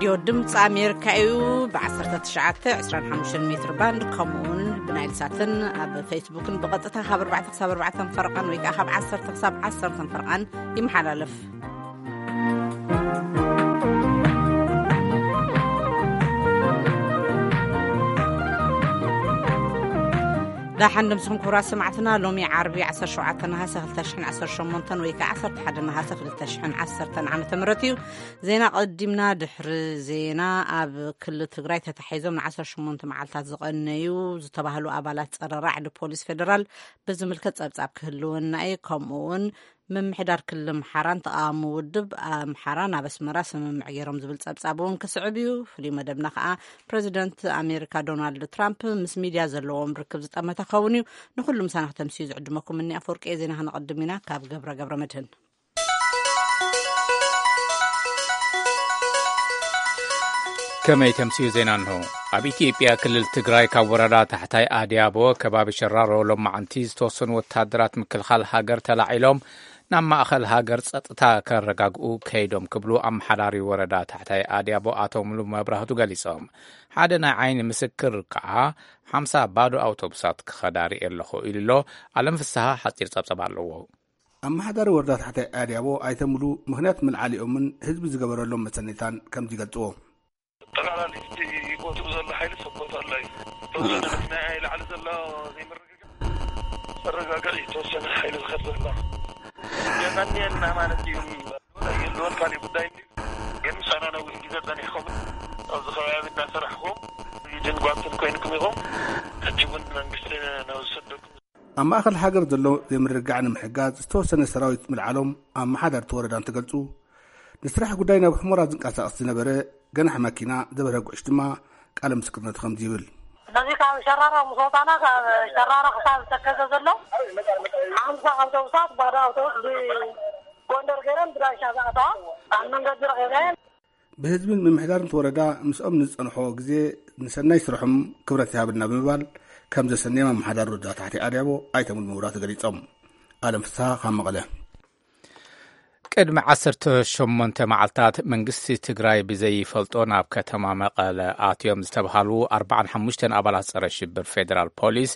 ዮ ድምፂ ኣሜሪካ እዩ። ብ19፣ 25 ሜትር ባንድ፣ ከምኡውን ብናይል ሳትን ኣብ ፌስቡክን ብቐጥታ ካብ ኣርባዕተ ክሳብ ኣርባዕተ ፈረቓን ወይ ከዓ ካብ ዓሰርተ ክሳብ ዓሰርተ ፈረቓን ይመሓላለፍ። ዳሓን ድምስኹም ክቡራት ሰማዕትና። ሎሚ ዓርቢ 17 ነሃሰ 2018 ወይ ከዓ 11 ነሃሰ 2010 ዓመተ ምህረት እዩ። ዜና ቀዲምና። ድሕሪ ዜና፣ ኣብ ክልል ትግራይ ተታሒዞም ን18 መዓልታት ዝቐነዩ ዝተባህሉ ኣባላት ጸረ ራዕዲ ፖሊስ ፌደራል ብዝምልከት ጸብጻብ ክህልወና እዩ። ከምኡ እውን ምምሕዳር ክልል ኣምሓራን ተቓዋሚ ውድብ ኣምሓራ ናብ ኣስመራ ስምምዕ ገይሮም ዝብል ጸብጻብ እውን ክስዕብ እዩ። ፍሉይ መደብና ከዓ ፕረዚደንት ኣሜሪካ ዶናልድ ትራምፕ ምስ ሚድያ ዘለዎም ርክብ ዝጠመተ ክኸውን እዩ። ንኩሉ ምሳና ክተምስዩ ዝዕድመኩም እኒ ኣፈወርቂ። ዜና ክነቐድም ኢና ካብ ገብረ ገብረ መድህን። ከመይ ተምስዩ ዜና እንሆ። ኣብ ኢትዮጵያ ክልል ትግራይ ካብ ወረዳ ታሕታይ ኣድያቦ ከባቢ ሸራሮ ሎማዓንቲ ዝተወሰኑ ወታደራት ምክልኻል ሃገር ተላዒሎም ናብ ማእኸል ሃገር ጸጥታ ከረጋግኡ ከይዶም ክብሉ ኣመሓዳሪ ወረዳ ታሕታይ ኣድያቦ ኣቶ ሙሉ መብራህቱ ገሊጾም። ሓደ ናይ ዓይኒ ምስክር ከዓ ሓምሳ ባዶ ኣውቶቡሳት ክኸዳ ርእየ ኣለኹ ኢሉ ኣሎ። ኣለም ፍስሃ ሓጺር ጸብጸብ ኣለዎ። ኣመሓዳሪ ወረዳ ታሕታይ ኣድያቦ ኣይተ ሙሉ ምኽንያት ምልዓሊኦምን ህዝቢ ዝገበረሎም መሰኔታን ከምዚ ይገልጽዎ። ጠቕላላ እቲ ቦትኡ ዘሎ ሓይሊ ሰብ ቦታ ኣሎ እዩ። ተወሰነ መኪና እያ ላዕሊ ዘሎ ዘይምርግጋእ። መረጋጋእ እዩ። ተወሰነ ሓይሊ ዝኸድ ዘሎ የመንየና ማለት እዩ። የልወን ካልእ ጉዳይ እንዲ ግን ምሳና ነዊሕ ግዜ ጸኒሕኩም ኣብዚ ከባቢ እናሰራሕኩም ድንጓትን ኮይንኩም ኢኹም። ሕጂ እውን መንግስቲ ናብ ዝሰደኩም ኣብ ማእኸል ሃገር ዘሎ ዘይምርግጋዕ ንምሕጋዝ ዝተወሰነ ሰራዊት ምልዓሎም ኣመሓዳርቲ ወረዳ እንትገልጹ፣ ንስራሕ ጉዳይ ናብ ሑመራ ዝንቀሳቐስ ዝነበረ ገናሕ ማኪና ዘበረ ጉዕሽ ድማ ቃለ ምስክርነት ከምዚ ይብል። ስለዚ ካብ ሸራሮ ምስ ወፃና፣ ካብ ሸራሮ ክሳብ ተከዘ ዘሎ ሓምሳ ኣውቶቡሳት፣ ባዶ ኣውቶቡስ ብጎንደር ገይረን ብዳንሻ ዝኣተዋ ኣብ መንገዲ ረኺበን። ብህዝብን ምምሕዳርን እቲ ወረዳ ምስኦም ንዝጸንሖ ግዜ ንሰናይ ስርሖም ክብረት ይሃበልና ብምባል ከም ዘሰንዮም ኣመሓዳሪ ወረዳ ታሕቲ ኣድያቦ ኣይተ ሙሉ መብራህቱ ገሊጾም። ኣለም ፍስሃ ካብ መቐለ። ቅድሚ 18 መዓልታት መንግስቲ ትግራይ ብዘይፈልጦ ናብ ከተማ መቐለ ኣትዮም ዝተብሃሉ ኣርባዓን ሓሙሽተን ኣባላት ጸረ ሽብር ፌደራል ፖሊስ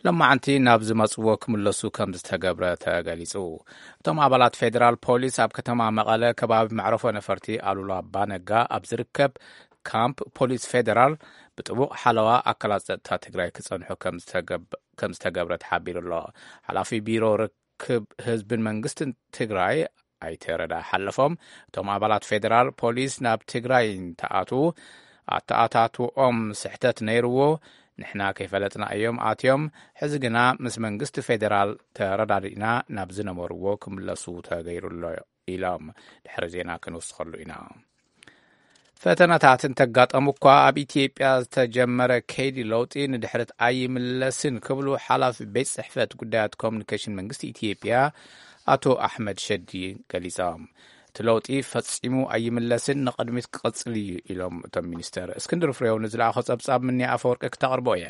ሎማዓንቲ ናብ ዝመጽዎ ክምለሱ ከም ዝተገብረ ተገሊጹ። እቶም ኣባላት ፌደራል ፖሊስ ኣብ ከተማ መቐለ ከባቢ መዕረፎ ነፈርቲ ኣሉላ ኣባነጋ ኣብ ዝርከብ ካምፕ ፖሊስ ፌደራል ብጥቡቕ ሓለዋ ኣካላት ጸጥታ ትግራይ ክጸንሑ ከም ዝተገብ-፣ ከም ዝተገብረ ተሓቢሩ ኣሎ። ሓላፊ ቢሮ ርክብ ህዝብን መንግስትን ትግራይ ኣይተ ረዳ ሓለፎም፣ እቶም ኣባላት ፌደራል ፖሊስ ናብ ትግራይ እንተኣትዉ ኣተኣታትውኦም ስሕተት ነይርዎ፣ ንሕና ከይፈለጥና እዮም ኣትዮም፣ ሕዚ ግና ምስ መንግስቲ ፌደራል ተረዳዲእና ናብ ዝነበርዎ ክምለሱ ተገይሩ ኣሎ ኢሎም። ድሕሪ ዜና ክንውስኸሉ ኢና። ፈተናታት እንተጋጠሙ እኳ ኣብ ኢትዮጵያ ዝተጀመረ ከይዲ ለውጢ ንድሕሪት ኣይምለስን ክብሉ ሓላፊ ቤት ጽሕፈት ጉዳያት ኮሙኒኬሽን መንግስቲ ኢትዮጵያ ኣቶ ኣሕመድ ሸዲ ገሊጾም። እቲ ለውጢ ፈጺሙ ኣይምለስን፣ ንቕድሚት ክቕጽል እዩ ኢሎም እቶም ሚኒስተር። እስክንድር ፍሬው ንዝለኣኾ ጸብጻብ ምንያ ኣፈወርቂ ክተቕርቦ እያ።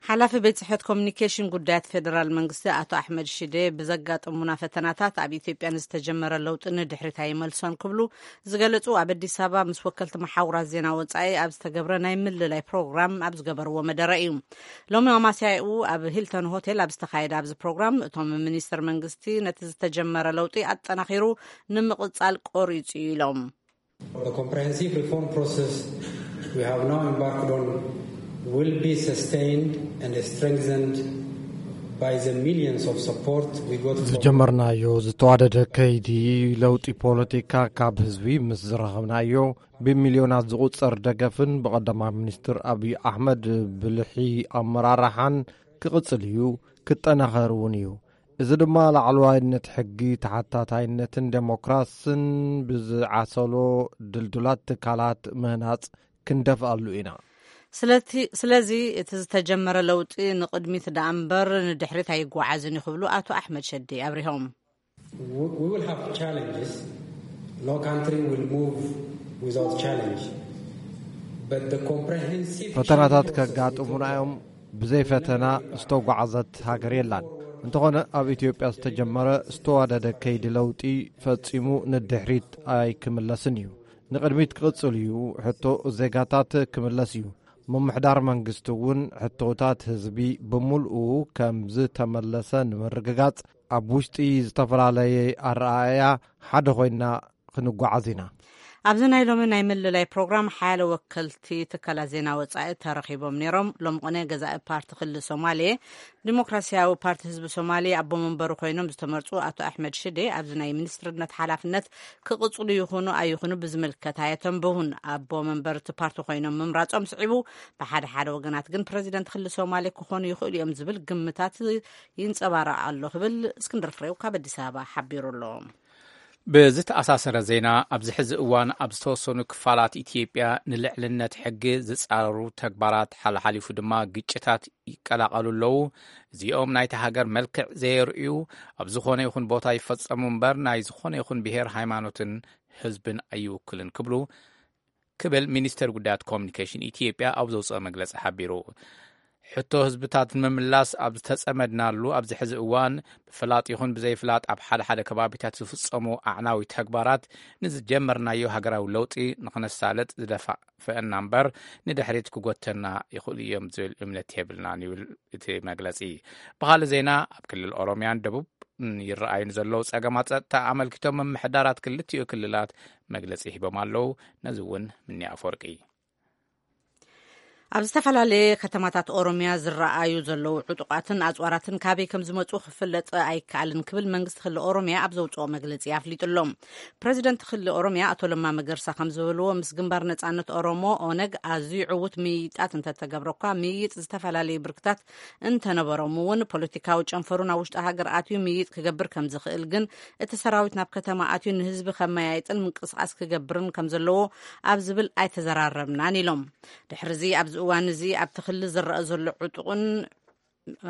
ሓላፊ ቤት ጽሕፈት ኮሙኒኬሽን ጉዳያት ፌደራል መንግስቲ ኣቶ ኣሕመድ ሽዴ ብዘጋጠሙና ፈተናታት ኣብ ኢትዮጵያ ንዝተጀመረ ለውጢ ንድሕሪት ኣይመልሶን ክብሉ ዝገለጹ ኣብ ኣዲስ ኣበባ ምስ ወከልቲ መሓውራት ዜና ወጻኢ ኣብ ዝተገብረ ናይ ምልላይ ፕሮግራም ኣብ ዝገበርዎ መደረ እዩ። ሎሚ ኣማስያኡ ኣብ ሂልተን ሆቴል ኣብ ዝተኻየደ ኣብዚ ፕሮግራም እቶም ሚኒስትር መንግስቲ ነቲ ዝተጀመረ ለውጢ ኣጠናኺሩ ንምቕጻል ቆሪጹ እዩ ኢሎም። The comprehensive reform process we have now embarked on will be sustained and strengthened by the millions of support we got from ዝጀመርናዮ ዝተዋደደ ከይዲ ለውጢ ፖለቲካ ካብ ህዝቢ ምስ ዝረኸብናዮ ብሚልዮናት ዝቑጸር ደገፍን ብቐዳማይ ሚኒስትር ኣብይ ኣሕመድ ብልሒ ኣመራርሓን ክቕጽል እዩ፣ ክጠናኸር እውን እዩ። እዚ ድማ ላዕለዋይነት ሕጊ፣ ተሓታታይነትን ዴሞክራስን ብዝዓሰሎ ድልዱላት ትካላት ምህናጽ ክንደፍኣሉ ኢና። ስለቲ-፣ ስለዚ እቲ ዝተጀመረ ለውጢ ንቕድሚት ደኣ እምበር ንድሕሪት ኣይጓዓዝን እዩ ክብሉ ኣቶ ኣሕመድ ሸዴ ኣብሪሆም። We, we will have challenges. No country will move without challenge. But the comprehensive ፈተናታት change process ከጋጥሙና እዮም። ብዘይ ፈተና ዝተጓዓዘት ሃገር የላን። እንተኾነ ኣብ ኢትዮጵያ ዝተጀመረ ዝተዋደደ ከይዲ ለውጢ ፈጺሙ ንድሕሪት ኣይክምለስን እዩ። ንቕድሚት ክቕጽል እዩ። ሕቶ ዜጋታት ክምለስ እዩ። ምምሕዳር መንግስቲ እውን ሕቶታት ህዝቢ ብምልኡ ከም ዝተመለሰ ንምርግጋጽ ኣብ ውሽጢ ዝተፈላለየ ኣረኣእያ ሓደ ኮይና ክንጓዓዝ ኢና። ኣብዚ ናይ ሎሚ ናይ ምልላይ ፕሮግራም ሓያለ ወከልቲ ትካላት ዜና ወጻኢ ተረኺቦም ነይሮም። ሎም ቅነ ገዛኢ ፓርቲ ክልል ሶማሌ ዲሞክራሲያዊ ፓርቲ ህዝቢ ሶማሌ ኣቦ መንበሩ ኮይኖም ዝተመርጹ ኣቶ ኣሕመድ ሽዴ ኣብዚ ናይ ሚኒስትርነት ሓላፍነት ክቕጽሉ ይኹኑ ኣይኹኑ ብዝምልከት ኣየተንበሁን። ኣቦ መንበር እቲ ፓርቲ ኮይኖም ምምራጾም ስዒቡ፣ ብሓደ ሓደ ወገናት ግን ፕረዚደንት ክልል ሶማሌ ክኾኑ ይኽእሉ እዮም ዝብል ግምታት ይንጸባረቕ ኣሎ ክብል እስክንድር ፍሬው ካብ ኣዲስ ኣበባ ሓቢሩ ኣሎ። ብዝተኣሳሰረ ዜና፣ ኣብዚ ሕዚ እዋን ኣብ ዝተወሰኑ ክፋላት ኢትዮጵያ ንልዕልነት ሕጊ ዝጻረሩ ተግባራት፣ ሓልሓሊፉ ድማ ግጭታት ይቀላቐሉ ኣለዉ። እዚኦም ናይቲ ሃገር መልክዕ ዘየርእዩ፣ ኣብ ዝኾነ ይኹን ቦታ ይፈጸሙ እምበር፣ ናይ ዝኾነ ይኹን ብሔር፣ ሃይማኖትን ህዝብን ኣይውክልን ክብሉ ክብል ሚኒስተር ጉዳያት ኮሚኒኬሽን ኢትዮጵያ ኣብ ዘውፅኦ መግለፂ ሓቢሩ። ሕቶ ህዝብታት ንምምላስ ኣብ ዝተጸመድናሉ ኣብዚ ሕዚ እዋን፣ ብፍላጥ ይኹን ብዘይፍላጥ ኣብ ሓደ ሓደ ከባቢታት ዝፍጸሙ ኣዕናዊ ተግባራት ንዝጀመርናዮ ሃገራዊ ለውጢ ንኽነሳልጥ ዝደፋፍአና እምበር ንድሕሪት ክጎተና ይኽእሉ እዮም ዝብል እምነት የብልናን ይብል እቲ መግለጺ። ብኻልእ ዜና፣ ኣብ ክልል ኦሮሚያን ደቡብ ይረኣዩ ንዘለዉ ጸገማት ጸጥታ ኣመልኪቶም ምምሕዳራት ክልቲኡ ክልላት መግለጺ ሂቦም ኣለዉ። ነዚ እውን ምኒ ኣፈወርቂ። ኣብ ዝተፈላለየ ከተማታት ኦሮሚያ ዝረኣዩ ዘለዉ ዕጡቓትን ኣጽዋራትን ካበይ ከም ዝመጹ ክፍለጥ ኣይከኣልን ክብል መንግስቲ ክልል ኦሮሚያ ኣብ ዘውጽኦ መግለጺ ኣፍሊጡ ኣሎ። ፕረዚደንት ክልል ኦሮሚያ ኣቶ ለማ መገርሳ ከም ዝበልዎ፣ ምስ ግንባር ነጻነት ኦሮሞ፣ ኦነግ፣ ኣዝዩ ዕዉት ምይይጣት እንተተገብረ እኳ፣ ምይይጥ ዝተፈላለዩ ብርክታት እንተነበሮም እውን፣ ፖለቲካዊ ጨንፈሩ ናብ ውሽጢ ሃገር ኣትዩ ምይይጥ ክገብር ከም ዝኽእል ግን፣ እቲ ሰራዊት ናብ ከተማ ኣትዩ ንህዝቢ ከመያይጥን ምንቅስቓስ ክገብርን ከም ዘለዎ ኣብ ዝብል ኣይተዘራረብናን ኢሎም። ድሕሪ እዚ ኣብዚ እዋን እዚ ኣብቲ ክልል ዝረኣ ዘሎ ዕጡቕን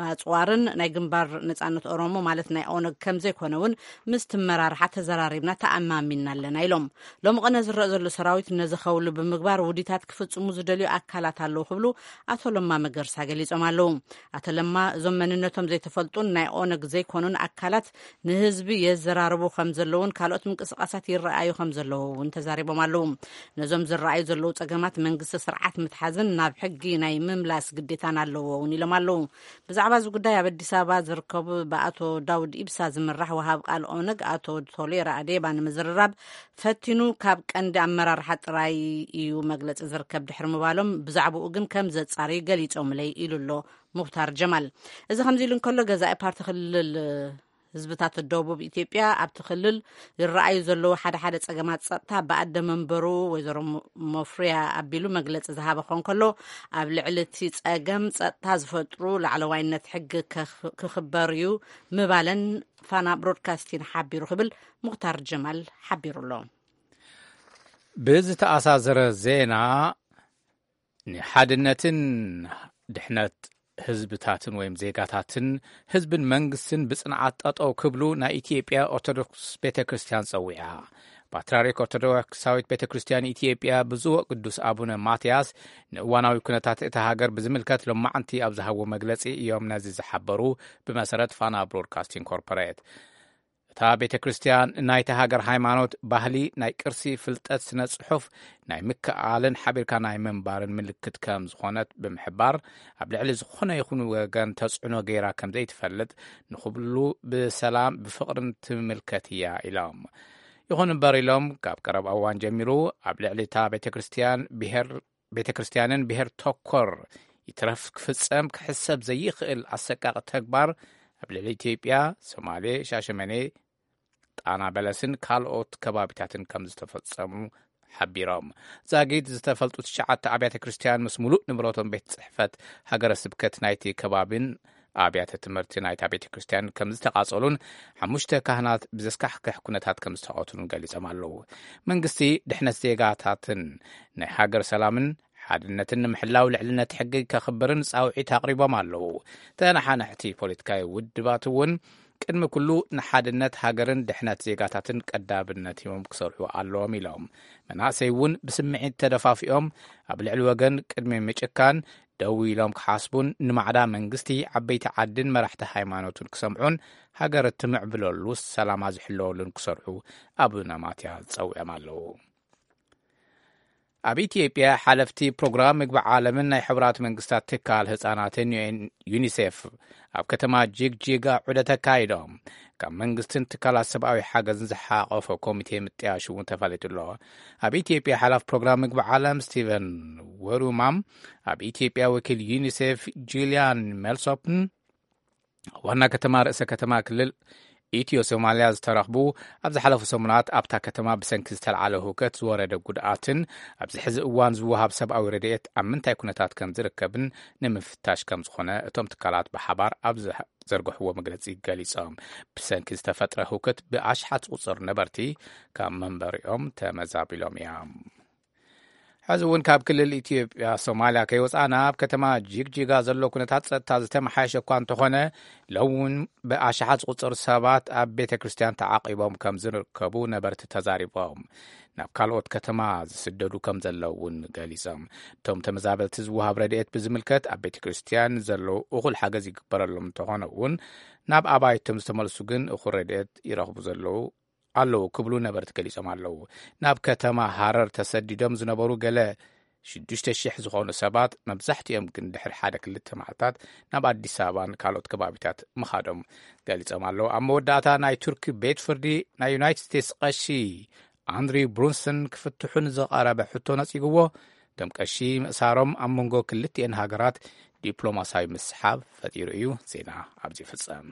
ኣጽዋርን ናይ ግንባር ነጻነት ኦሮሞ ማለት ናይ ኦነግ ከም ዘይኮነ እውን ምስቲ መራርሓ ተዘራሪብና ተኣማሚንና ኣለና ኢሎም። ሎሚ ቅነ ዝረኣ ዘሎ ሰራዊት ነዚ ከውሊ ብምግባር ውዲታት ክፍጽሙ ዝደልዩ ኣካላት ኣለዉ ክብሉ ኣቶ ለማ መገርሳ ገሊጾም ኣለዉ። ኣቶ ለማ እዞም መንነቶም ዘይተፈልጡን ናይ ኦነግ ዘይኮኑን ኣካላት ንህዝቢ የዘራርቡ ከም ዘለውን ካልኦት ምንቅስቓሳት ይረኣዩ ከም ዘለዉ እውን ተዛሪቦም ኣለዉ። ነዞም ዝረኣዩ ዘለዉ ጸገማት መንግስቲ ስርዓት ምትሓዝን ናብ ሕጊ ናይ ምምላስ ግዴታን ኣለዎ እውን ኢሎም ኣለዉ። ብዛዕባ እዚ ጉዳይ ኣብ ኣዲስ ኣበባ ዝርከቡ ብኣቶ ዳውድ ኢብሳ ዝምራሕ ወሃብ ቃል ኦነግ ኣቶ ቶሌራ ኣዴባ ንምዝርራብ ፈቲኑ ካብ ቀንዲ ኣመራርሓ ጥራይ እዩ መግለጺ ዝርከብ ድሕሪ ምባሎም ብዛዕባኡ ግን ከም ዘጻርዩ ገሊጾምለይ ኢሉ ኣሎ ሙኽታር ጀማል። እዚ ከምዚ ኢሉ እንከሎ ገዛኢ ፓርቲ ክልል ህዝብታት ደቡብ ኢትዮጵያ ኣብቲ ክልል ይረኣዩ ዘለዉ ሓደ ሓደ ጸገማት ጸጥታ ብኣደ መንበሩ ወይዘሮ ሞ- ሞፍሪያ ኣቢሉ መግለጺ ዝሃበ ኮን ከሎ ኣብ ልዕሊ እቲ ጸገም ጸጥታ ዝፈጥሩ ላዕለዋይነት ሕጊ ከኽ- ክኽበር እዩ ምባለን ፋና ብሮድካስቲን ሓቢሩ ክብል ሙኽታር ጀማል ሓቢሩ ኣሎ። ብዝተኣሳሰረ ዜና ንሓድነትን ድሕነት ህዝብታትን ወይም ዜጋታትን ህዝብን መንግስትን ብጽንዓት ጠጠው ክብሉ ናይ ኢትዮጵያ ኦርቶዶክስ ቤተ ክርስቲያን ጸዊዓ። ፓትርያርክ ኦርቶዶክሳዊት ቤተ ክርስቲያን ኢትዮጵያ ብፁዕ ቅዱስ ኣቡነ ማትያስ ንእዋናዊ ኩነታት እታ ሃገር ብዝምልከት ሎማዕንቲ ኣብ ዝሃብዎ መግለጺ እዮም ነዚ ዝሓበሩ። ብመሰረት ፋና ብሮድካስቲንግ ኮርፖሬት፣ እታ ቤተ ክርስቲያን ናይታ ሃገር ሃይማኖት፣ ባህሊ፣ ናይ ቅርሲ፣ ፍልጠት፣ ስነ ጽሑፍ፣ ናይ ምክእኣልን ሓቢርካ ናይ ምንባርን ምልክት ከም ዝኾነት ብምሕባር፣ ኣብ ልዕሊ ዝኾነ ይኹን ወገን ተጽዕኖ ገይራ ከም ዘይትፈልጥ፣ ንኹሉ ብሰላም ብፍቕርን ትምልከት እያ ኢሎም። ይኹን እምበር ኢሎም፣ ካብ ቀረብ እዋን ጀሚሩ ኣብ ልዕሊ እታ ቤተ ክርስቲያን ብሔር ቤተ ክርስቲያንን ብሔር ተኮር ይትረፍ ክፍጸም ክሕሰብ ዘይኽእል ኣሰቃቂ ተግባር ኣብ ልዕሊ ኢትዮጵያ፣ ሶማሌ፣ ሻሸመኔ፣ ጣና በለስን ካልኦት ከባቢታትን ከም ዝተፈጸሙ ሓቢሮም። ዛጊድ ዝተፈልጡ ትሽዓተ ኣብያተ ክርስቲያን ምስ ሙሉእ ንብረቶም ቤት ጽሕፈት ሃገረ ስብከት ናይቲ ከባቢን ኣብያተ ትምህርቲ ናይታ ቤተ ክርስቲያን ከም ዝተቓጸሉን ሓሙሽተ ካህናት ብዘስካሕክሕ ኩነታት ከም ዝተቐትሉን ገሊጾም ኣለዉ። መንግስቲ ድሕነት ዜጋታትን ናይ ሃገር ሰላምን ሓድነትን ንምሕላው ልዕልነት ሕጊ ከኽብርን ጻውዒት ኣቕሪቦም ኣለዉ። ተነሓናሕቲ ፖለቲካዊ ውድባት እውን ቅድሚ ኩሉ ንሓድነት ሃገርን ድሕነት ዜጋታትን ቀዳምነት ሂቦም ክሰርሑ ኣለዎም ኢሎም። መናእሰይ እውን ብስምዒት ተደፋፊኦም ኣብ ልዕሊ ወገን ቅድሚ ምጭካን ደው ኢሎም ክሓስቡን ንማዕዳ መንግስቲ፣ ዓበይቲ ዓድን መራሕቲ ሃይማኖትን ክሰምዑን ሃገር እትምዕብለሉ ሰላማ ዝሕለወሉን ክሰርሑ ኣቡነ ማትያስ ጸዊዖም ኣለዉ። ኣብ ኢትዮጵያ፣ ሓለፍቲ ፕሮግራም ምግቢ ዓለምን ናይ ሕቡራት መንግስታት ትካል ህጻናትን፣ ዩኤን፣ ዩኒሴፍ፣ ኣብ ከተማ ጂግጂጋ ዑደት ኣካይዶም። ካብ መንግስትን ትካላት ሰብኣዊ ሓገዝን ዝሓቆፈ ኮሚቴ ምጥያሹ እውን ተፈሊጡ ኣሎ። ኣብ ኢትዮጵያ፣ ሓላፍ ፕሮግራም ምግቢ ዓለም ስቲቨን ወሩማም፣ ኣብ ኢትዮጵያ ወኪል ዩኒሴፍ ጁልያን ሜልሶፕን፣ ዋና ከተማ፣ ርእሰ ከተማ ክልል ኢትዮ ሶማልያ ዝተረኽቡ፣ ኣብ ዝሓለፉ ሰሙናት ኣብታ ከተማ ብሰንኪ ዝተልዓለ ህውከት ዝወረደ ጉድኣትን ኣብዚ ሕዚ እዋን ዝወሃብ ሰብኣዊ ረድኤት ኣብ ምንታይ ኩነታት ከም ዝርከብን ንምፍታሽ ከም ዝኾነ እቶም ትካላት ብሓባር ኣብ ዘርግሕዎ መግለጺ ገሊጾም። ብሰንኪ ዝተፈጥረ ህውከት ብኣሽሓት ዝቑጸሩ ነበርቲ ካብ መንበሪኦም ተመዛቢሎም እዮም። ሕዚ እውን ካብ ክልል ኢትዮጵያ ሶማልያ ከይወፃእና፣ ኣብ ከተማ ጂግጂጋ ዘሎ ኩነታት ጸጥታ ዝተመሓየሸ እኳ እንተኾነ፣ ሎም እውን ብኣሽሓት ዝቑጸሩ ሰባት ኣብ ቤተ ክርስቲያን ተዓቂቦም ከም ዝርከቡ ነበርቲ ተዛሪቦም። ናብ ካልኦት ከተማ ዝስደዱ ከም ዘለዉ እውን ገሊጾም። እቶም ተመዛበልቲ ዝወሃብ ረድኤት ብዝምልከት፣ ኣብ ቤተ ክርስቲያን ዘለዉ እኹል ሓገዝ ይግበረሎም እንተኾነ እውን፣ ናብ ኣባይቶም ዝተመልሱ ግን እኹል ረድኤት ይረኽቡ ዘለዉ ኣለዉ ክብሉ ነበርቲ ገሊጾም ኣለዉ። ናብ ከተማ ሃረር ተሰዲዶም ዝነበሩ ገለ ሽዱሽተ ሽሕ ዝኾኑ ሰባት፣ መብዛሕትኦም ግን ድሕሪ ሓደ ክልተ መዓልታት ናብ ኣዲስ ኣበባን ካልኦት ከባቢታት ምኻዶም ገሊጾም ኣለዉ። ኣብ መወዳእታ፣ ናይ ቱርኪ ቤት ፍርዲ ናይ ዩናይትድ ስቴትስ ቀሺ ኣንድሪው ብሩንሰን ክፍትሑ ንዝቐረበ ሕቶ ነጺግዎ። እቶም ቀሺ ምእሳሮም ኣብ መንጎ ክልቲኤን ሃገራት ዲፕሎማሲያዊ ምስሓብ ፈጢሩ እዩ። ዜና ኣብዚ ይፍጸም።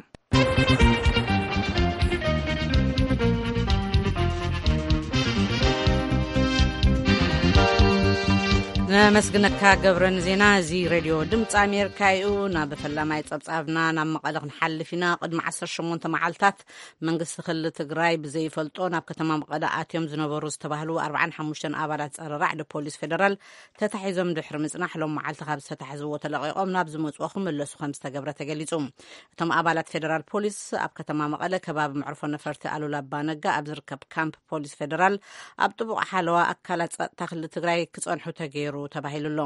ነመስግነካ ገብረ ንዜና። እዚ ሬድዮ ድምፂ ኣሜሪካ እዩ። ናብ ፈላማይ ጸብጻብና ናብ መቐለ ክንሓልፍ ኢና። ቅድሚ ዓሰርተ ሸሞንተ መዓልታት መንግስቲ ክልል ትግራይ ብዘይፈልጦ ናብ ከተማ መቐለ ኣትዮም ዝነበሩ ዝተባህሉ ኣርባዓን ሓሙሽተን ኣባላት ጸረ ራዕዲ ፖሊስ ፌደራል ተታሒዞም ድሕሪ ምጽናሕ፣ ሎም መዓልቲ ካብ ዝተታሕዝዎ ተለቒቖም ናብ ዝመጽዎ ክምለሱ ከም ዝተገብረ ተገሊጹ። እቶም ኣባላት ፌደራል ፖሊስ ኣብ ከተማ መቐለ ከባቢ መዕርፎ ነፈርቲ ኣሉላ ኣባ ነጋ ኣብ ዝርከብ ካምፕ ፖሊስ ፌደራል ኣብ ጥቡቕ ሓለዋ ኣካላት ጸጥታ ክልል ትግራይ ክጸንሑ ተገይሩ ተባሂሉ ኣሎ።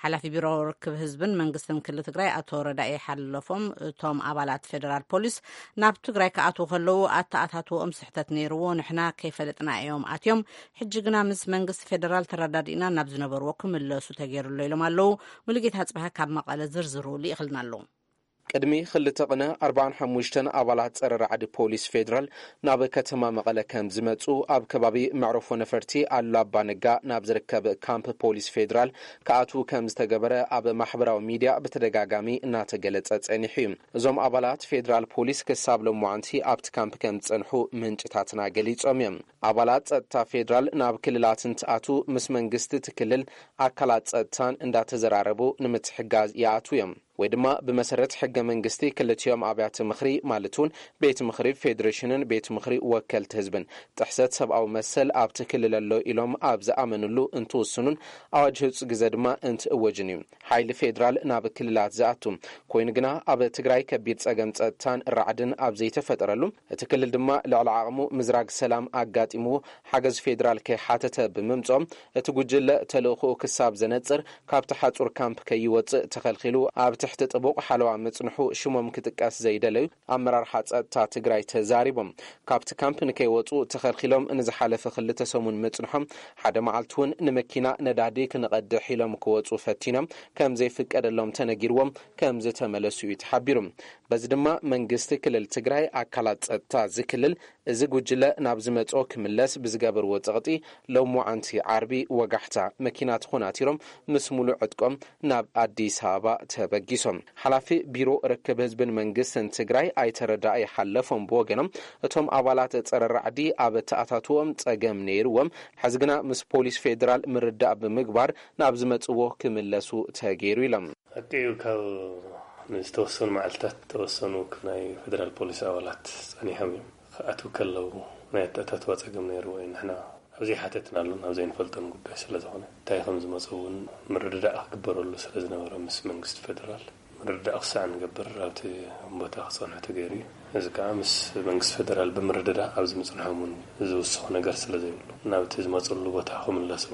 ሓላፊ ቢሮ ርክብ ህዝብን መንግስትን ክልል ትግራይ ኣቶ ረዳኢ ሓለፎም፣ እቶም ኣባላት ፌደራል ፖሊስ ናብ ትግራይ ክኣትዉ ከለዉ ኣተኣታትወኦም ስሕተት ነይርዎ፣ ንሕና ከይፈለጥና እዮም ኣትዮም፣ ሕጂ ግና ምስ መንግስቲ ፌደራል ተረዳዲእና ናብ ዝነበርዎ ክምለሱ ተገይሩ ኣሎ ኢሎም ኣለዉ። ሙሉጌታ ኣጽብሃ ካብ መቐለ ዝርዝሩ ልኢኽልና ኣሎ። ቅድሚ ክልተ ቅነ ኣርባዓን ሓሙሽተን ኣባላት ጸረ ራዕዲ ፖሊስ ፌደራል ናብ ከተማ መቐለ ከም ዝመጹ፣ ኣብ ከባቢ መዕረፎ ነፈርቲ ኣሉላ ኣባ ነጋ ናብ ዝርከብ ካምፕ ፖሊስ ፌደራል ክኣትዉ ከም ዝተገበረ ኣብ ማሕበራዊ ሚድያ ብተደጋጋሚ እናተገለጸ ጸኒሑ እዩ። እዞም ኣባላት ፌደራል ፖሊስ ክሳብ ሎማዓንቲ ኣብቲ ካምፕ ከም ዝጸንሑ ምንጭታትና ገሊጾም እዮም። ኣባላት ጸጥታ ፌደራል ናብ ክልላት እንትኣትዉ ምስ መንግስቲ እቲ ክልል ኣካላት ጸጥታን እንዳተዘራረቡ ንምትሕጋዝ ይኣትዉ እዮም። ወይ ድማ ብመሰረት ሕገ መንግስቲ ክልቲኦም ኣብያተ ምኽሪ፣ ማለት እውን ቤት ምኽሪ ፌዴሬሽንን ቤት ምኽሪ ወከልቲ ህዝብን፣ ጥሕሰት ሰብኣዊ መሰል ኣብቲ ክልል ኣሎ ኢሎም ኣብ ዝኣመንሉ እንትውስኑን ኣዋጅ ህጹጽ ግዘ ድማ እንትእወጅን እዩ ሓይሊ ፌዴራል ናብ ክልላት ዝኣቱ። ኮይኑ ግና፣ ኣብ ትግራይ ከቢድ ጸገም ጸጥታን ራዕድን ኣብ ዘይተፈጠረሉ፣ እቲ ክልል ድማ ልዕሊ ዓቕሙ ምዝራግ ሰላም ኣጋጢምዎ ሓገዝ ፌዴራል ከይሓተተ ብምምጾም፣ እቲ ጉጅለ ተልእኾኡ ክሳብ ዘነጽር ካብቲ ሓጹር ካምፕ ከይወጽእ ተኸልኺሉ ኣብ ትሕቲ ጥቡቕ ሓለዋ ምጽንሑ ሽሞም ክጥቀስ ዘይደለዩ ኣመራርሓ ጸጥታ ትግራይ ተዛሪቦም። ካብቲ ካምፕ ንከይወጹ ተኸልኺሎም ንዝሓለፈ ክልተ ሰሙን ምጽንሖም፣ ሓደ መዓልቲ እውን ንመኪና ነዳዲ ክንቐድሕ ኢሎም ክወጹ ፈቲኖም ከም ዘይፍቀደሎም ተነጊርዎም ከም ዝተመለሱ እዩ ተሓቢሩ። በዚ ድማ መንግስቲ ክልል ትግራይ ኣካላት ጸጥታ እዚ ክልል እዚ ጉጅለ ናብ ዝመጾ ክምለስ ብዝገበርዎ ጸቕጢ፣ ሎማዓንቲ ዓርቢ ወጋሕታ መኪና ተኾናቲሮም ምስ ሙሉእ ዕጥቆም ናብ ኣዲስ ኣበባ ተበጊሶም። ሓላፊ ቢሮ ርክብ ህዝብን መንግስትን ትግራይ ኣይተ ረዳኢ ሓለፎም ብወገኖም፣ እቶም ኣባላት ጸረ ራዕዲ ኣብ ተኣታትዎም ጸገም ነይርዎም፣ ሕዚ ግና ምስ ፖሊስ ፌዴራል ምርዳእ ብምግባር ናብ ዝመጽዎ ክምለሱ ተገይሩ ኢሎም። ሓቂ እዩ፣ ካብ ንዝተወሰኑ መዓልታት ዝተወሰኑ ናይ ፌደራል ፖሊስ ኣባላት ጸኒሖም እዮም። ክኣትዉ ከለዉ ናይ ኣተኣታትዋ ጸገም ነይርዎ እዩ። ንሕና ኣብ ዘይሓተትናሉን ኣብ ዘይንፈልጦን ጉዳይ ስለ ዝኾነ፣ እንታይ ከም ዝመጹ እውን ምርድዳእ ክግበረሉ ስለ ዝነበረ ምስ መንግስቲ ፌደራል ምርድዳእ ክሳዕ ንገብር ኣብቲ ቦታ ክጸንሑ ተገይሩ እዩ። እዚ ከኣ ምስ መንግስቲ ፌደራል ብምርድዳእ ኣብዚ ምጽንሖም እውን ዝውስኹ ነገር ስለ ዘይብሉ ናብቲ ዝመጹሉ ቦታ ክምለሱ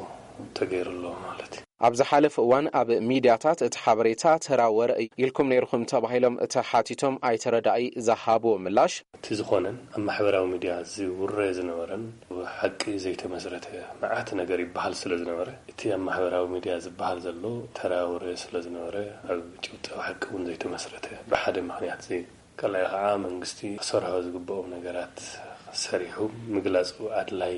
ተገይሩ ኣሎ ማለት እዩ። ኣብ ዝሓለፈ እዋን ኣብ ሚድያታት እቲ ሓበሬታ ተራ ወረ ኢልኩም ነይርኹም ተባሂሎም ተሓቲቶም ኣይተ ረዳኢ ዝሃብዎ ምላሽ፣ እቲ ዝኾነን ኣብ ማሕበራዊ ሚድያ ዝውረ ዝነበረን ብሓቂ ዘይተመስረተ መዓት ነገር ይበሃል ስለ ዝነበረ፣ እቲ ኣብ ማሕበራዊ ሚድያ ዝበሃል ዘሎ ተራ ወረ ስለ ዝነበረ፣ ኣብ ጭብጢ ሓቂ እውን ዘይተመስረተ፣ ብሓደ ምኽንያት ዘይ-፣ ካልኣይ ከዓ መንግስቲ ክሰርሖ ዝግብኦም ነገራት ሰሪሑ ምግላፁ ኣድላይ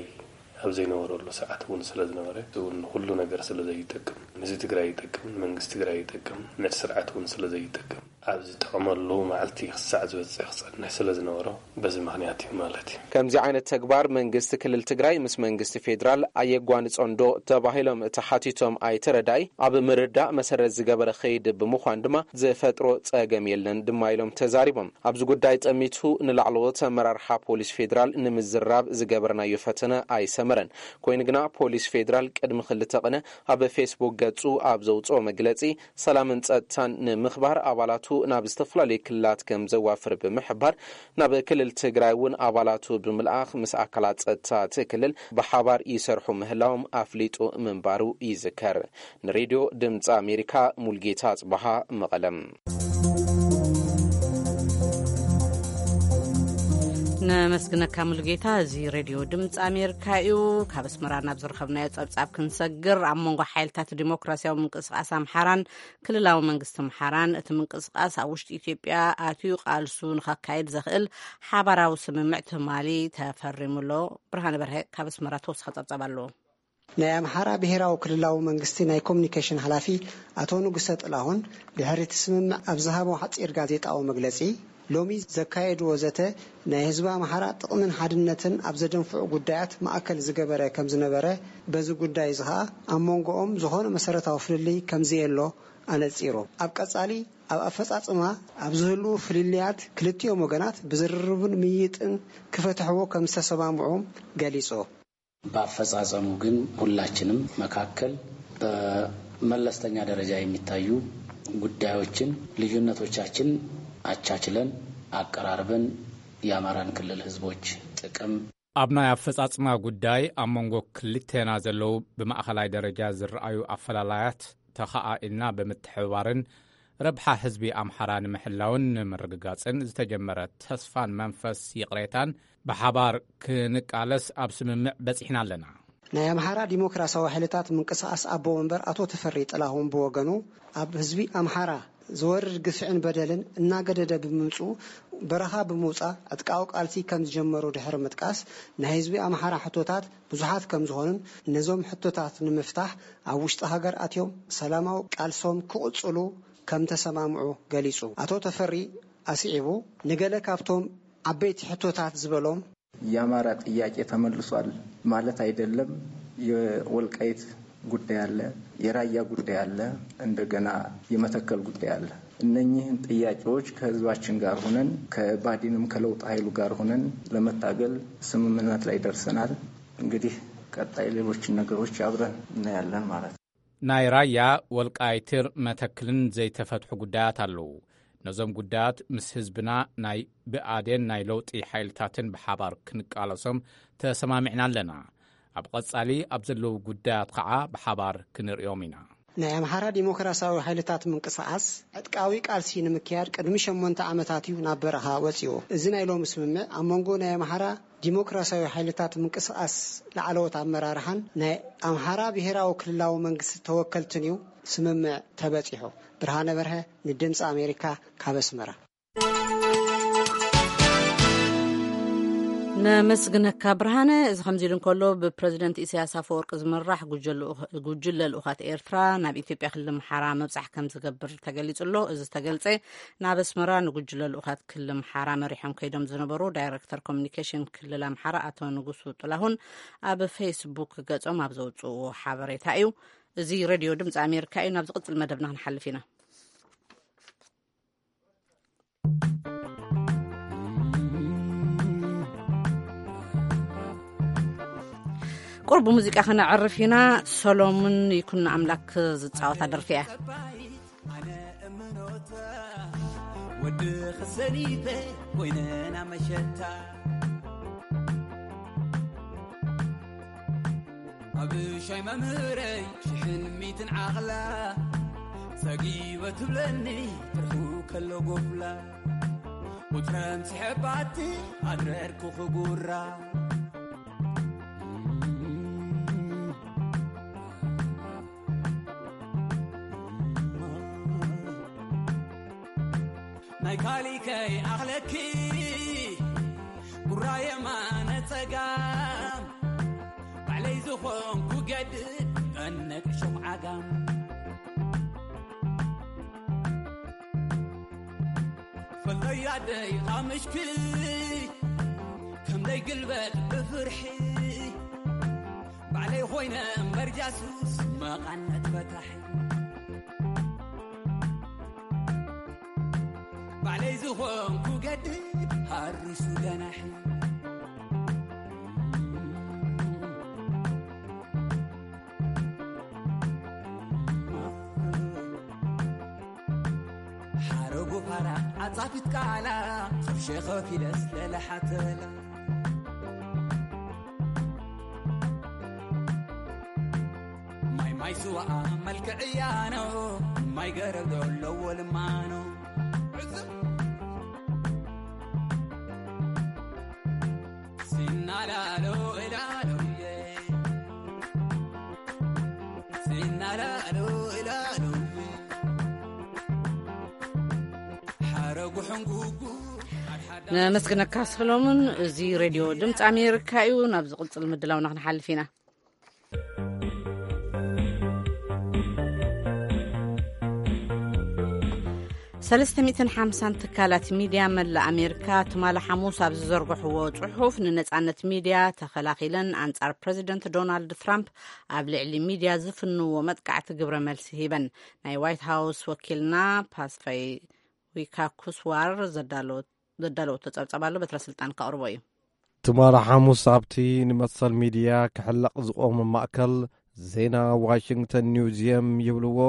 ኣብ ዘይነበረሉ ሰዓት እውን ስለ ዝነበረ፣ እዚ እውን ንኩሉ ነገር ስለ ዘይጠቅም፣ ንህዝቢ ትግራይ ይጠቅም፣ ንመንግስቲ ትግራይ ይጠቅም፣ ነቲ ስርዓት እውን ስለ ዘይጠቅም፣ ኣብ ዝጠቕመሉ መዓልቲ ክሳዕ ዝበፅሕ ክፀንሕ ስለ ዝነበሮ፣ በዚ ምኽንያት እዩ ማለት እዩ። ከምዚ ዓይነት ተግባር መንግስቲ ክልል ትግራይ ምስ መንግስቲ ፌዴራል ኣየጓንፆን ዶ ተባሂሎም ተሓቲቶም ኣይተ ረዳኢ፣ ኣብ ምርዳእ መሰረት ዝገበረ ከይዲ ብምዃን ድማ ዝፈጥሮ ፀገም የለን ድማ ኢሎም ተዛሪቦም። ኣብዚ ጉዳይ ጠሚቱ ንላዕለዎት ኣመራርሓ ፖሊስ ፌዴራል ንምዝራብ ዝገበርናዮ ፈተነ ኣይሰመረን። ኮይኑ ግና ፖሊስ ፌዴራል ቅድሚ ክልተ ቅነ ኣብ ፌስቡክ ገፁ ኣብ ዘውፅኦ መግለፂ፣ ሰላምን ጸጥታን ንምኽባር ኣባላቱ ናብ ዝተፈላለዩ ክልላት ከም ዘዋፍር ብምሕባር፣ ናብ ክልል ትግራይ እውን ኣባላቱ ብምልኣኽ ምስ ኣካላት ጸጥታ እቲ ክልል ብሓባር ይሰርሑ ምህላዎም ኣፍሊጡ ምንባሩ ይዝከር። ንሬድዮ ድምፂ ኣሜሪካ ሙልጌታ ጽበሃ መቐለም። ነመስግነካ ሙሉጌታ። እዚ ሬድዮ ድምፂ ኣሜሪካ እዩ። ካብ ኣስመራ ናብ ዝረኸብናዮ ጸብጻብ ክንሰግር፣ ኣብ መንጎ ሓይልታት ዲሞክራሲያዊ ምንቅስቃስ ኣምሓራን ክልላዊ መንግስቲ ኣምሓራን እቲ ምንቅስቃስ ኣብ ውሽጢ ኢትዮጵያ ኣትዩ ቃልሱ ንኸካይድ ዘኽእል ሓባራዊ ስምምዕ ትማሊ ተፈሪሙሎ። ብርሃነ በርሀ ካብ ኣስመራ ተወሳኺ ጸብጻብ ኣለዎ። ናይ ኣምሓራ ብሄራዊ ክልላዊ መንግስቲ ናይ ኮሙኒኬሽን ሓላፊ ኣቶ ንጉሰ ጥላሁን ድሕሪ እቲ ስምምዕ ኣብ ዝሃቦ ሓጺር ጋዜጣዊ መግለጺ፣ ሎሚ ዘካየድዎ ዘተ ናይ ህዝቢ ኣምሓራ ጥቕምን ሓድነትን ኣብ ዘደንፍዑ ጉዳያት ማእከል ዝገበረ ከም ዝነበረ፣ በዚ ጉዳይ እዚ ኸኣ ኣብ መንጎኦም ዝኾነ መሰረታዊ ፍልልይ ከም ዘየሎ ኣነጺሩ። ኣብ ቀጻሊ ኣብ ኣፈጻጽማ ኣብ ዝህልዉ ፍልልያት ክልቲኦም ወገናት ብዝርርብን ምይይጥን ክፈትሕዎ ከም ዝተሰማምዑ ገሊጹ። በአፈጻጸሙ ግን ሁላችንም መካከል በመለስተኛ ደረጃ የሚታዩ ጉዳዮችን፣ ልዩነቶቻችን አቻችለን አቀራርበን የአማራን ክልል ህዝቦች ጥቅም፣ ኣብ ናይ ኣፈጻጽማ ጉዳይ ኣብ መንጎ ክልቴና ዘለዉ ብማእኸላይ ደረጃ ዝረኣዩ ኣፈላላያት ተኸኣኢልና ብምትሕብባርን ረብሓ ህዝቢ ኣምሓራ ንምሕላውን ንምርግጋጽን ዝተጀመረ ተስፋን መንፈስ ይቕሬታን ብሓባር ክንቃለስ ኣብ ስምምዕ በጺሕና ኣለና። ናይ ኣምሓራ ዲሞክራሲያዊ ሓይልታት ምንቅስቓስ ኣቦ መንበር ኣቶ ተፈሪ ጥላሁን ብወገኑ፣ ኣብ ህዝቢ ኣምሓራ ዝወርድ ግፍዕን በደልን እናገደደ ብምምፅኡ በረኻ ብምውፃእ ዕጥቃዊ ቃልሲ ከም ዝጀመሩ ድሕሪ ምጥቃስ፣ ናይ ህዝቢ ኣምሓራ ሕቶታት ብዙሓት ከም ዝኾኑን ነዞም ሕቶታት ንምፍታሕ ኣብ ውሽጢ ሃገር ኣትዮም ሰላማዊ ቃልሶም ክቕፅሉ ከም ተሰማምዑ ገሊፁ። ኣቶ ተፈሪ ኣስዒቡ፣ ንገለ ካብቶም ዓበይቲ ሕቶታት ዝበሎም፣ የአማራ ጥያቄ ተመልሷል ማለት አይደለም። የወልቃይት ጉዳይ አለ፣ የራያ ጉዳይ አለ፣ እንደገና የመተከል ጉዳይ አለ። እነኚህን ጥያቄዎች ከህዝባችን ጋር ሆነን ከባዲንም ከለውጥ ኃይሉ ጋር ሆነን ለመታገል ስምምነት ላይ ደርሰናል። እንግዲህ ቀጣይ ሌሎችን ነገሮች አብረን እናያለን ማለት ነው። ናይ ራያ፣ ወልቃይትን መተክልን ዘይተፈትሑ ጉዳያት ኣለዉ። ነዞም ጉዳያት ምስ ህዝብና ናይ ብኣዴን ናይ ለውጢ ሓይልታትን ብሓባር ክንቃለሶም ተሰማሚዕና ኣለና። ኣብ ቐጻሊ ኣብ ዘለዉ ጉዳያት ኸዓ ብሓባር ክንርእዮም ኢና። ናይ ኣምሓራ ዲሞክራሲያዊ ሓይልታት ምንቅስቓስ ዕጥቃዊ ቃልሲ ንምክያድ ቅድሚ ሸሞንተ ዓመታት እዩ ናብ በረኻ ወጺኡ። እዚ ናይ ሎሚ ስምምዕ ኣብ መንጎ ናይ ኣምሓራ ዲሞክራሲያዊ ሓይልታት ምንቅስቓስ ላዕለዎት ኣመራርሓን ናይ ኣምሓራ ብሄራዊ ክልላዊ መንግስቲ ተወከልትን እዩ ስምምዕ ተበጺሑ። ብርሃነ በርሀ ንድምፂ ኣሜሪካ ካብ ኣስመራ። ነመስግነካ ብርሃነ። እዚ ከምዚ ኢሉ እንከሎ፣ ብፕረዚደንት ኢሳያስ ኣፈወርቂ ዝምራሕ ጉጀለ ልኡኽ-፣ ጉጅለ ልኡኻት ኤርትራ ናብ ኢትዮጵያ ክልል ኣምሓራ ምብጻሕ ከም ዝገብር ተገሊጹ ኣሎ። እዚ ዝተገልጸ፣ ናብ ኣስመራ ንጉጅለ ልኡኻት ክልል ኣምሓራ መሪሖም ከይዶም ዝነበሩ ዳይረክተር ኮሙኒኬሽን ክልል ኣምሓራ ኣቶ ንጉሱ ጥላሁን ኣብ ፌስቡክ ገጾም ኣብ ዘውጽእዎ ሓበሬታ እዩ። እዚ ሬድዮ ድምፂ ኣሜሪካ እዩ። ናብ ዝቕጽል መደብና ክንሓልፍ ኢና። ቁርብ ሙዚቃ ከነዕርፍ ኢና። ሰሎሙን ይኩን ኣምላክ ዝጻወታ ደርፊ እያ። ኣነ እምኖታ ወዲ ክሰኒተ ኮይነና መሸታ ብሻይ መምህረይ ሽሕን ሚትን ዓቕላ፣ ሰጊወ ትብለኒ ትርፉ ከሎ ጎፍላ። ቁጽረን ስሕባቲ ኣድረርኩ ክጉራ። ናይ ካሊከይ ኣኽለኪ ጉራ የማነ ጸጋም፣ ባዕለይ ዝኾንኩ ገድል እነቅ ሹቕ ዓጋም። ፈለይ ኣደይ ቃምሽኪ ከምደይ ግልበጥ ብፍርሒ፣ ባዕለይ ኮይነ እምበር ጃሱስ መቓነት ፈታሒ። ባዕለይ ዝኾንኩ ገድል ሃሪሱ ገናሒ። ሓረጉ ፋራ ዓጻፊት ቃላ፣ ቅርሺ ከፊለስ ለለሓተላ። ማይ ማይ ስዋኣ መልክዕያ ነው፣ ማይ ገረብ ዘለዎ ልማኖ። ሲናላሎ እላሎዬ፣ ሲናላሎ እላሎዬ፣ ሓረጉ ሕንጉጉ ሓድሓዳ። ነመስግነካ ሰሎሞን። እዚ ሬድዮ ድምፂ ኣሜሪካ እዩ። ናብ ዝቕፅል ምድላውና ክንሓልፍ ኢና። ሰለስተ ሚእትን ሓምሳን ትካላት ሚድያ መላእ ኣሜሪካ ትማሊ ሓሙስ ኣብ ዝዘርግሕዎ ጽሑፍ፣ ንነጻነት ሚድያ ተኸላኺለን ኣንጻር ፕረዚደንት ዶናልድ ትራምፕ ኣብ ልዕሊ ሚድያ ዝፍንዎ መጥቃዕቲ ግብረ መልሲ ሂበን። ናይ ዋይት ሃውስ ወኪልና ፓስፋይ ዊካኩስዋር ዘዳለወ-፣ ዘዳለወቶ ጸብጻብ ኣሎ፣ በትረ ስልጣን ከቕርቦ እዩ። ትማሊ ሓሙስ ኣብቲ ንመሰል ሚድያ ክሕለቕ ዝቖመ ማእከል ዜና ዋሽንግተን ኒውዝየም ይብልዎ፣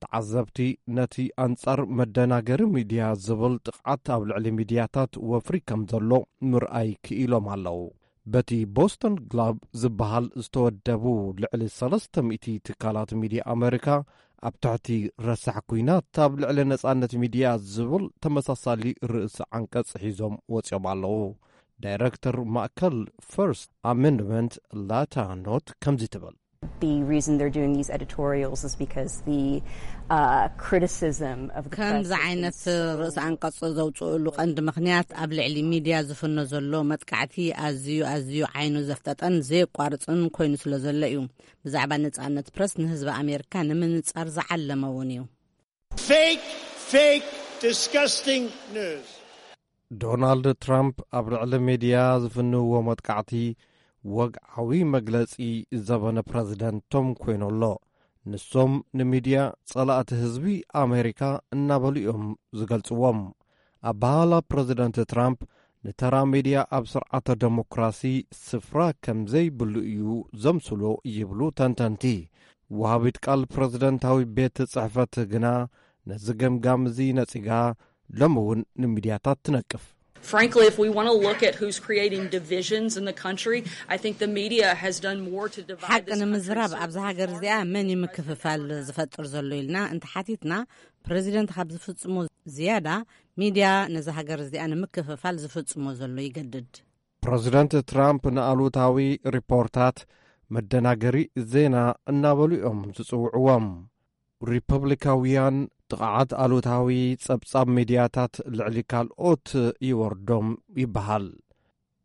ተዓዘብቲ ነቲ ኣንጻር መደናገሪ ሚድያ ዝብል ጥቕዓት ኣብ ልዕሊ ሚድያታት ወፍሪ ከም ዘሎ ምርኣይ ክኢሎም ኣለዉ። በቲ ቦስተን ግሎብ ዝበሃል ዝተወደቡ ልዕሊ ሰለስተ ሚእቲ ትካላት ሚድያ ኣመሪካ ኣብ ትሕቲ ረሳሕ ኲናት ኣብ ልዕሊ ነጻነት ሚድያ ዝብል ተመሳሳሊ ርእሲ ዓንቀጽ ሒዞም ወጺኦም ኣለዉ። ዳይረክተር ማእከል ፈርስት ኣሜንድመንት ላታ ኖት ከምዚ ትብል። The reason they're doing these editorials is because the, uh, criticism of the press ከምዚ has ዓይነት been so ርእሲ ኣንቀጽ ዘውፅእሉ ቀንዲ ምኽንያት ኣብ ልዕሊ ሚድያ ዝፍኖ ዘሎ መጥቃዕቲ ኣዝዩ ኣዝዩ ዓይኑ ዘፍጠጠን ዘየቋርፅን ኮይኑ ስለ ዘሎ እዩ። ብዛዕባ ነጻነት ፕረስ ንህዝቢ ኣሜሪካ ንምንጻር ዝዓለመ እውን እዩ። Fake, fake, disgusting news. ዶናልድ ትራምፕ ኣብ ልዕሊ ሚድያ ዝፍንዎ መጥቃዕቲ ወግዓዊ መግለጺ ዘበነ ፕረዚደንቶም ኮይኑ ኣሎ። ንሶም ንሚድያ ጸላእቲ ህዝቢ ኣሜሪካ እናበሉ እዮም ዝገልጽዎም። ኣበሃህላ ፕረዚደንት ትራምፕ ንተራ ሚድያ ኣብ ስርዓተ ደሞክራሲ ስፍራ ከም ዘይብሉ እዩ ዘምስሎ ይብሉ ተንተንቲ። ወሃቢት ቃል ፕረዚደንታዊ ቤት ጽሕፈት ግና ነዚ ገምጋም እዚ ነጺጋ ሎሚ እውን ንሚድያታት ትነቅፍ። Frankly, if we want to look at who's creating divisions in the country, I think the media has done more to divide ሓቂ this ንምዝራብ country so ኣብዚ ሃገር far እዚኣ መን እዩ ምክፍፋል ዝፈጥር ዘሎ ኢልና እንተሓቲትና፣ ፕረዚደንት ካብ ዝፍጽሞ ዝያዳ ሚድያ ነዚ ሃገር እዚኣ ንምክፍፋል ዝፍጽሞ ዘሎ ይገድድ። ፕረዚደንት ትራምፕ ንኣሉታዊ ሪፖርታት መደናገሪ ዜና እናበሉ እዮም ዝጽውዕዎም። ሪፐብሊካውያን ጥቕዓት ኣሉታዊ ጸብጻብ ሚድያታት ልዕሊ ካልኦት ይወርዶም ይበሃል።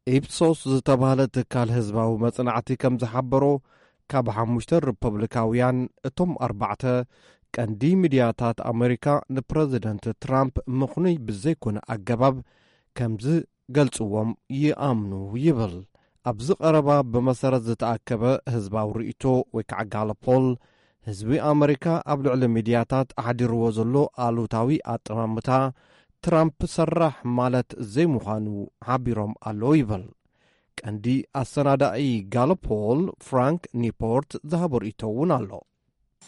ኢፕሶስ ዝተባህለ ትካል ህዝባዊ መጽናዕቲ ከም ዝሓበሮ፣ ካብ ሓሙሽተ ሪፐብሊካውያን እቶም ኣርባዕተ ቀንዲ ሚድያታት ኣመሪካ ንፕረዚደንት ትራምፕ ምኽኑይ ብዘይኮነ ኣገባብ ከም ዝገልጽዎም ይኣምኑ ይብል። ኣብዚ ቀረባ ብመሰረት ዝተኣከበ ህዝባዊ ርእይቶ ወይ ከዓ ጋለፖል፣ ህዝቢ ኣመሪካ ኣብ ልዕሊ ሚድያታት ኣሕዲርዎ ዘሎ ኣሉታዊ ኣጠማምታ ትራምፕ ሰራሕ ማለት ዘይምዃኑ ሓቢሮም ኣለዉ ይብል። ቀንዲ ኣሰናዳኢ ጋለፖል ፍራንክ ኒፖርት ዝሃቦ ርእይቶ እውን ኣሎ።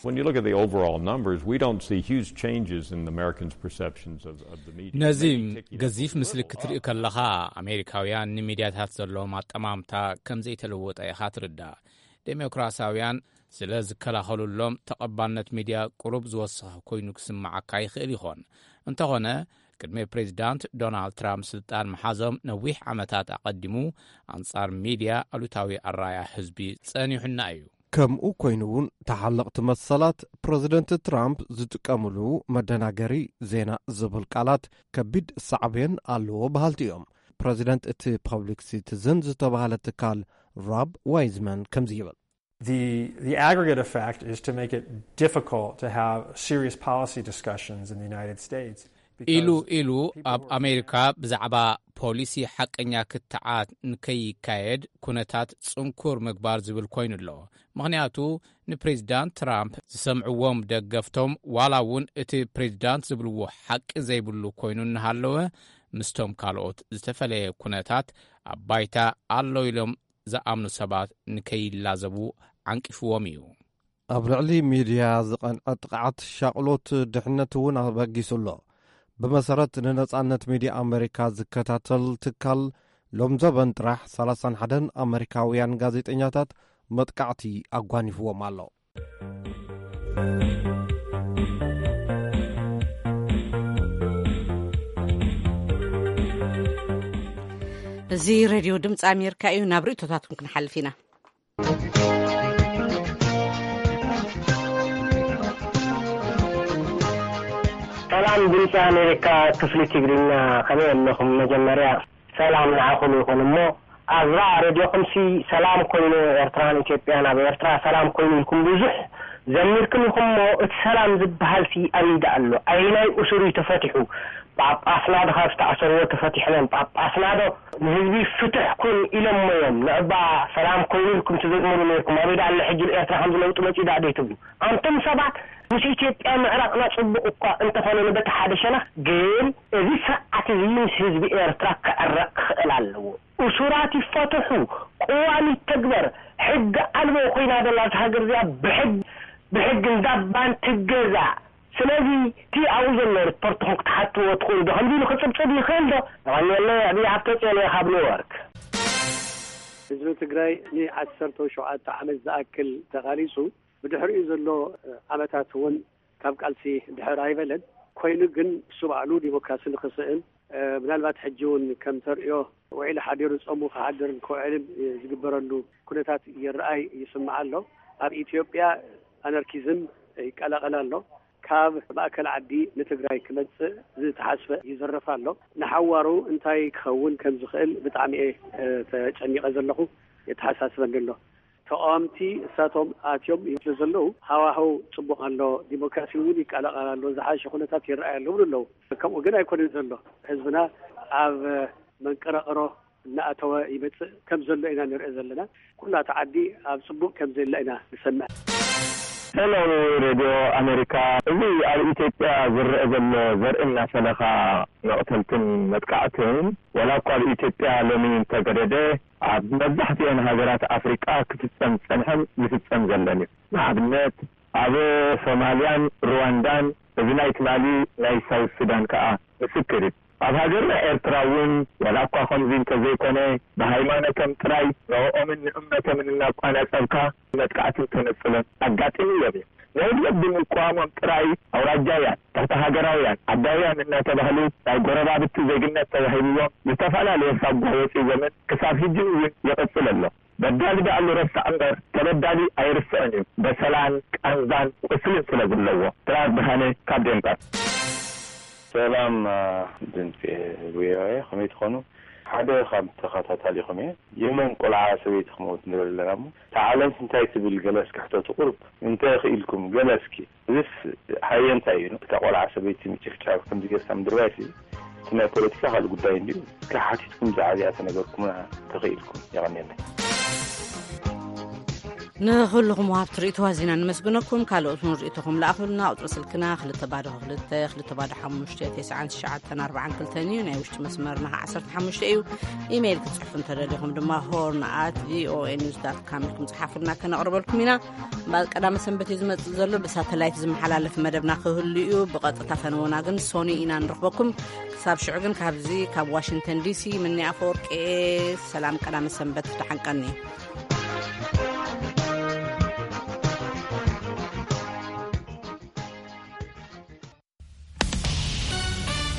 When you look at the overall numbers, we don't see huge changes in Americans' perceptions of, of the media. ነዚ Maybe ticking up ገዚፍ a ምስሊ little ክትርኢ up. ከለኻ፣ ኣሜሪካውያን ንሚድያታት ዘለዎም ኣጠማምታ ከም ዘይተለወጠ ኢኻ ትርዳእ። ዴሞክራሲያውያን ስለ ዝከላኸሉሎም፣ ተቐባልነት ሚድያ ቁሩብ ዝወሰኸ ኮይኑ ክስምዓካ ይኽእል ይኾን። እንተኾነ፣ ቅድሚ ፕሬዚዳንት ዶናልድ ትራምፕ ስልጣን ምሓዞም ነዊሕ ዓመታት ኣቐዲሙ፣ ኣንጻር ሚድያ ኣሉታዊ ኣራያ ህዝቢ ጸኒሑና እዩ። ከምኡ ኮይኑ እውን፣ ተሓለቕቲ መሰላት ፕረዚደንት ትራምፕ ዝጥቀምሉ መደናገሪ ዜና ዝብል ቃላት ከቢድ ሳዕቤን ኣለዎ በሃልቲ እዮም። ፕረዚደንት እቲ ፐብሊክ ሲቲዝን ዝተባህለ ትካል ሮብ ዋይዝመን ከምዚ ይብል። The, the aggregate effect is to make it difficult to have serious policy discussions in the United States. ኢሉ ኢሉ ኣብ ኣሜሪካ ብዛዕባ ፖሊሲ ሓቀኛ ክትዓት ንከይካየድ ኩነታት ጽንኩር ምግባር ዝብል ኮይኑ ኣሎ። ምኽንያቱ፣ ንፕሬዚዳንት ትራምፕ ዝሰምዕዎም ደገፍቶም፣ ዋላ እውን እቲ ፕሬዚዳንት ዝብልዎ ሓቂ ዘይብሉ ኮይኑ እናሃለወ፣ ምስቶም ካልኦት ዝተፈለየ ኩነታት ኣብ ባይታ ኣሎ ኢሎም ዝኣምኑ ሰባት ንከይላዘቡ ዓንቂፍዎም እዩ። ኣብ ልዕሊ ሚድያ ዝቐንዐ ጥቕዓት ሻቕሎት ድሕነት እውን ኣበጊሱ ኣሎ። ብመሰረት ንነጻነት ሚድያ ኣመሪካ ዝከታተል ትካል፣ ሎም ዘበን ጥራሕ ሰላሳን ሓደን ኣመሪካውያን ጋዜጠኛታት መጥቃዕቲ ኣጓኒፍዎም ኣሎ። እዚ ሬድዮ ድምፂ ኣሜሪካ እዩ። ናብ ርእቶታትኩም ክንሓልፍ ኢና። ሰላም ድምፂ ኣሜሪካ፣ ክፍሊ ትግርኛ፣ ከመይ ኣለኹም? መጀመርያ ሰላም ንዓኹም ይኹን። እሞ ኣብዛ ሬድዮኹምሲ ሰላም ኮይኑ ኤርትራን ኢትዮጵያን፣ ኣብ ኤርትራ ሰላም ኮይኑ ኢልኩም ብዙሕ ዘሚርኩም ኢኹም። እሞ እቲ ሰላም ዝበሃል ሲ ኣበይ ደኣ ኣሎ? ኣየናይ እሱር እዩ ተፈቲሑ? ጳጳስና ዶ ካብ ዝተኣሰርዎ ተፈቲሕኖም? ጳጳስና ዶ ንህዝቢ ፍትሕ ኩን ኢሎሞ እዮም? ንዕባ ሰላም ኮይኑ ኢልኩም ትዘዝምሩ ነይርኩም። ኣበይ ደኣ ኣሎ ሕጂ? ኤርትራ ከምዚ ለውጢ መጺኡ ደኣ ደይ ትብሉ? ኣንቱም ሰባት፣ ምስ ኢትዮጵያ ምዕራቕና ጽቡቕ እኳ እንተኾነ፣ ንበቲ ሓደ ሸነኽ ግን እዚ ስርዓት እዚ ምስ ህዝቢ ኤርትራ ክዕረቕ ክኽእል ኣለዎ። እሱራት ይፈትሑ፣ ቅዋም ይተግበር። ሕጊ ኣልቦ ኮይና ደላ እዛ ሃገር እዚኣ ብሕግ-፣ ብሕጊ እንዳባን ትገዛእ። ስለዚ እቲ ኣብኡ ዘሎ ሪፖርትኹም ክትሓትዎ ትኽእሉ ዶ? ከምዚ ኢሉ ክጽብጽብ ይኽእል ዶ? የቐንየለይ፣ ኣቢይ ሃብተጽዮን እየ ካብ ኒውዮርክ። ህዝቢ ትግራይ ንዓሰርተ ሸውዓተ ዓመት ዝኣክል ተቓሊሱ፣ ብድሕሪኡ ዘሎ ዓመታት እውን ካብ ቃልሲ ድሕር ኣይበለን። ኮይኑ ግን እሱ ባዕሉ ዲሞክራሲ ንኽስእን፣ ምናልባት ሕጂ እውን ከም ተርእዮ ውዒሉ ሓዲሩ ጾሙ ክሓድርን ክውዕልን ዝግበረሉ ኩነታት ይረኣይ ይስማዕ ኣሎ። ኣብ ኢትዮጵያ ኣነርኪዝም ይቀላቐል ኣሎ። ካብ ማእከል ዓዲ ንትግራይ ክመጽእ ዝተሓስበ ይዝረፍ ኣሎ። ንሓዋሩ እንታይ ክኸውን ከም ዝኽእል ብጣዕሚ እየ፣ እ፣ ተጨኒቐ ዘለኹ፣ የተሓሳስበኒ ኣሎ። ተቃወምቲ እሳቶም ኣትዮም ይብሉ ዘለዉ፣ ሃዋህው ጽቡቕ ኣሎ፣ ዲሞክራሲ እውን ይቀላቐል ኣሎ፣ ዝሓሸ ኩነታት ይረኣይ ኣሎ ይብሉ ኣለዉ። ከምኡ ግን ኣይኮነን ዘሎ። ህዝብና ኣብ መንቀራቕሮ እናኣተወ ይመጽእ ከም ዘሎ ኢና ንርኢ ዘለና። ኩላ እታ ዓዲ ኣብ ጽቡቕ ከም ዘላ ኢና ንሰምዕ። ሰላም ሬድዮ ኣሜሪካ፣ እዚ ኣብ ኢትዮጵያ ዝረአ ዘሎ ዘርኢ እናፈለኻ መቕተልትን መጥቃዕትን፣ ዋላ እኳ ኣብ ኢትዮጵያ ሎሚ እንተገደደ፣ ኣብ መብዛሕትኤን ሃገራት ኣፍሪቃ ክፍጸም ዝጸንሐን ዝፍጸም ዘለን እዩ። ንኣብነት፣ ኣብ ሶማልያን ሩዋንዳን፣ እዚ ናይ ትማሊ ናይ ሳውት ሱዳን ከኣ ምስክር እዩ። ኣብ ሃገርና ኤርትራ እውን፣ ዋላ እኳ ከምዚ እንተዘይኮነ፣ ብሃይማኖቶም ጥራይ ንዕኦምን ንእምነቶምን እናቋናጸብካ መጥቃዕትን ተነጽሎን ኣጋጢምዎም እዩ። ነውርዮት ብምቅዋሞም ጥራይ ኣውራጃውያን፣ ትሕተ ሃገራውያን፣ ዓዳውያን እናተባህሉ ናይ ጎረባብቲ ዜግነት ተዋሂብዎም ዝተፈላለየ ሳጓ ወጺዎምን ክሳብ ሕጂ እውን ይቕጽል ኣሎ። በዳሊ ደኣሉ ረሳዕ እምበር ተበዳሊ ኣይርስዕን እዩ፣ በሰላን ቃንዛን ቁስልን ስለ ዘለዎ። ጥራር ብርሃነ ካብ ዴንማርክ። ሰላም፣ አ፣ ድምፂ ቪኦኤ፣ ከመይ ትኾኑ? ሓደ ካብ ተኸታታሊኹም እየ። የመን ቆልዓ ሰበይቲ ክመውት ንርኢ ኣለና እሞ፣ እታ ዓለምስ እንታይ ትብል? ገለ እስኪ ሕተቱ ቁሩብ። እንተ ኽኢልኩም፣ ገለ እስኪ። እዚስ ሃየ እንታይ እዩ? እታ ቆልዓ ሰበይቲ ምጭፍጫፍ ከምዚ ጌርካ ምድርባይሲ፣ እቲ ናይ ፖለቲካ ካልእ ጉዳይ እንድዩ። እስኪ ሓቲትኩም ብዛዕባ እዚኣ ተነገርኩምና ተኽኢልኩም። የቐንየለይ። ንኹልኹም ወሃብቲ ርእይቶ ኣዚና ነመስግነኩም። ካልኦት እውን ርእይቶኹም ለኣኹልና። ቁጽሪ ስልክና ክልተ ባዶ ክልተ፣ ክልተ ባዶ ሓሙሽተ፣ ተስዓን ትሽዓተን ኣርባዓን ክልተን እዩ። ናይ ውሽጢ መስመርና ኸዓ ዓሰርተ ሓሙሽተ እዩ። ኢሜይል ክትጽሕፉ እንተደሊኹም ድማ ሆርን ኣት ቪኦኤ ኒውስ ዳት ካም ኢልኩም ጽሓፉልና፣ ከነቕርበልኩም ኢና። እምበኣር ቀዳመ ሰንበት እዩ ዝመጽእ ዘሎ። ብሳተላይት ዝመሓላለፍ መደብና ክህሉ እዩ። ብቐጥታ ፈነወና ግን ሶኒ ኢና ንረኽበኩም። ክሳብ ሽዑ ግን ካብዚ ካብ ዋሽንግተን ዲሲ ምኒ ኣፈወርቂ፣ ሰላም ቀዳመ ሰንበት፣ ደሓን ቀኒ።